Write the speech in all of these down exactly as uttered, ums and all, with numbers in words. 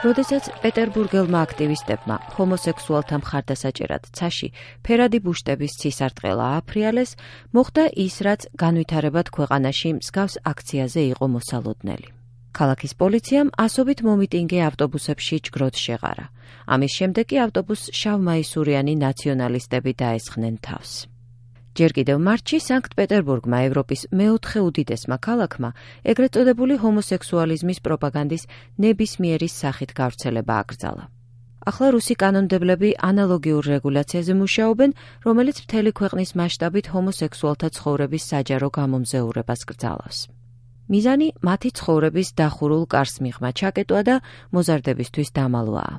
როდესაც პეტერბურგელმა აქტივისტებმა ჰომოსექსუალთა მხარდასაჭერად ცაში ფერადი ბუშტების ცისარტყელა ააფრიალეს, მოხდა ის, რაც განვითარებად ქვეყანაში მსგავს აქციაზე იყო მოსალოდნელი. ქალაქის პოლიციამ ასობით მომიტინგე ავტობუსებში ჯგროდ შეღარა. ამის შემდეგ კი ავტობუსს შავმაისურიანი ნაციონალისტები დაესხნენ თავს. ჯერ კიდევ მარტში სანქტ-პეტერბურგმა ევროპის მეოთხე უდიდესმა ქალაქმა ეგრეთ წოდებული ჰომოსექსუალიზმის პროპაგანდის ნებისმიერი სახით გავრცელება აკრძალა. ახლა რუსი კანონმდებლები ანალოგიურ რეგულაციაზე მუშაობენ, რომელიც მთელი ქვეყნის მასშტაბით ჰომოსექსუალთა ცხოვრების საჯარო გამომზეურებას კრძალავს. მიზანი მათი ცხოვრების დახურულ კარს მიღმა ჩაკეტვა და მოზარდებისთვის დამალვაა.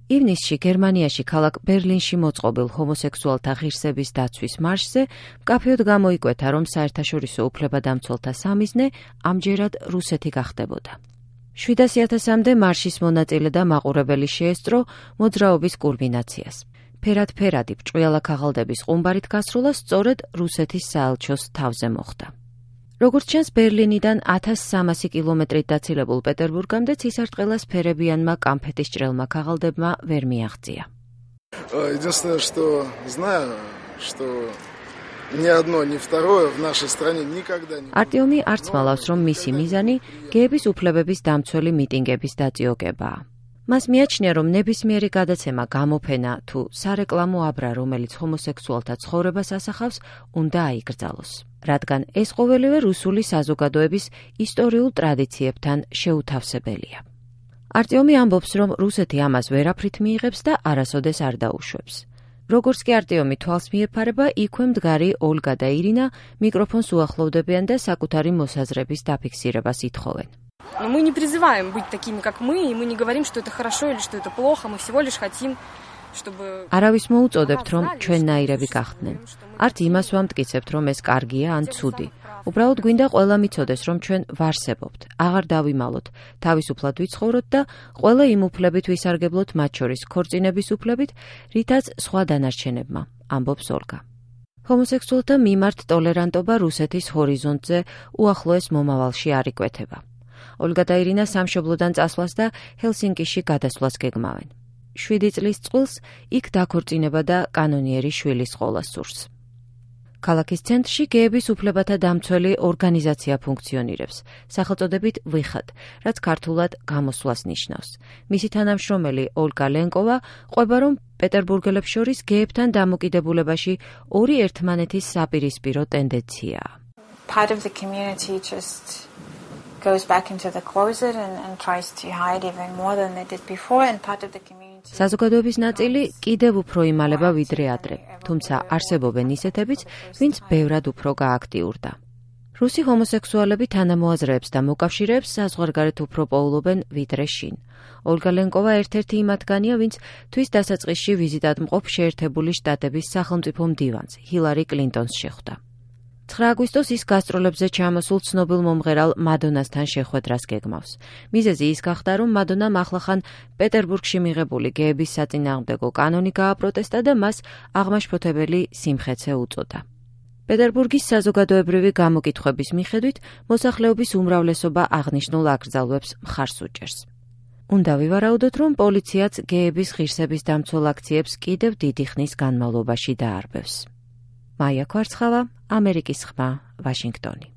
ივნისში გერმანიაში ქალაქ ბერლინში მოწყობილ ჰომოსექსუალთა ღირსების დაცვის მარშზე მკაფიოდ გამოიკვეთა, რომ საერთაშორისო უფლებადამცველთა სამიზნე ამჯერად რუსეთი გახდებოდა. შვიდასი ათასამდე მარშის მონაწილე და მაყურებელი შეესწრო მოძრაობის კულმინაციას. ფერად-ფერადი ბრჭყვიალა ქაღალდების ყუმბარით გასროლა სწორედ რუსეთის საელჩოს თავზე მოხდა. როგორც ჩანს, ბერლინიდან ათას სამასი კილომეტრით დაცილებულ პეტერბურგამდე ცისარტყელას ფერებიანმა კამფეტის ჭრელმა ქაღალდებმა ვერ მიაღწია. Единственное, что знаю, что ни одно, ни второе в нашей стране никогда не... არტიომი არც მალავს, რომ მისი მიზანი გეების უფლებების დამცველი მიტინგების დაწიოკებაა. მას მიაჩნია, რომ ნებისმიერი გადაცემა, გამოფენა თუ სარეკლამო აბრა, რომელიც ჰომოსექსუალთა ცხოვრებას ასახავს, უნდა აიკრძალოს. რადგან ეს ყოველივე რუსული საზოგადოების ისტორიულ ტრადიციებთან შეუთავსებელია. არტიომი ამბობს, რომ რუსეთი ამას ვერაფრით მიიღებს და არასოდეს არ დაუშვებს. როგორც კი არტიომი თვალს მიეფარება, იქვე მდგარი ოლგა და ირინა მიკროფონს უახლოვდებიან და საკუთარი მოსაზრების დაფიქსირებას ითხოვენ. Но мы не призываем быть такими, как мы, и мы не говорим, что это хорошо или что это плохо, мы всего лишь хотим, чтобы... არავის მოუწოდებთ, რომ ჩვენნაირები გახდნენ. არც იმას ვამტკიცებთ, რომ ეს კარგია ან ცუდი. უბრალოდ გვინდა ყველა მიცოდეს, რომ ჩვენ ვარსებობთ, აღარ დავიმალოთ, თავისუფლად ვიცხოვროთ და ყველა იმ უფლებით ვისარგებლოთ, მათ შორის ქორწინების უფლებით, რითაც სხვა დანარჩენებმა, ამბობს ოლგა. ჰომოსექსუალთა მიმართ ტოლერანტობა რუსეთის ჰორიზონტზე უახლოეს მომავალში არ იკვეთება. ოლგა და ირინა სამშობლოდან წასვლას და ჰელსინკიში გადასვლას გეგმავენ. შვიდი წლის წყვილს იქ დაქორწინება და კანონიერი შვილის ყოლა სურს. ქალაქის ცენტრში გეების უფლებათა დამცველი ორგანიზაცია ფუნქციონირებს, სახელწოდებით ვიხად, რაც ქართულად გამოსვლას ნიშნავს. მისი თანამშრომელი ოლგა ლენკოვა ყვება, რომ პეტერბურგელებს შორის გეებთან დამოკიდებულებაში ორი ერთმანეთის საპირისპირო ტენდენციაა. Part of the community just goes back into the closet and, and tries to hide even more than they did before, and part of the community... საზოგადოების ნაწილი კიდევ უფრო იმალება ვიდრე ადრე, თუმცა არსებობენ ისეთებიც, ვინც ბევრად უფრო გააქტიურდა. რუსი ჰომოსექსუალები თანამოაზრეებს და მოკავშირეებს საზღვარგარეთ უფრო პოულობენ ვიდრე შინ. ოლგა ლენკოვა ერთ-ერთი იმ მათგანია, ვინც თვის დასაწყისში ვიზიტად მყოფ შეერთებული შტატების სახელმწიფო მდივანს, ჰილარი კლინტონს შეხვდა. ცხრა აგვისტოს ის გასტროლებზე ჩამოსულ ცნობილ მომღერალ მადონასთან შეხვედრას გეგმავს. მიზეზი ის გახდა, რომ მადონამ ახლახან პეტერბურგში მიღებული გეების საწინააღმდეგო კანონი გააპროტესტა და მას აღმაშფოთებელი სიმხეცე უწოდა. პეტერბურგის საზოგადოებრივი გამოკითხვების მიხედვით, მოსახლეობის უმრავლესობა აღნიშნულ აკრძალვებს მხარს უჭერს. უნდა ვივარაუდოთ, რომ პოლიციაც გეების ღირსების დამცველ აქციებს კიდევ დიდი ხნის განმავლობაში დაარბევს. მაია ქვარცხავა, ამერიკის ხმა, ვაშინგტონი.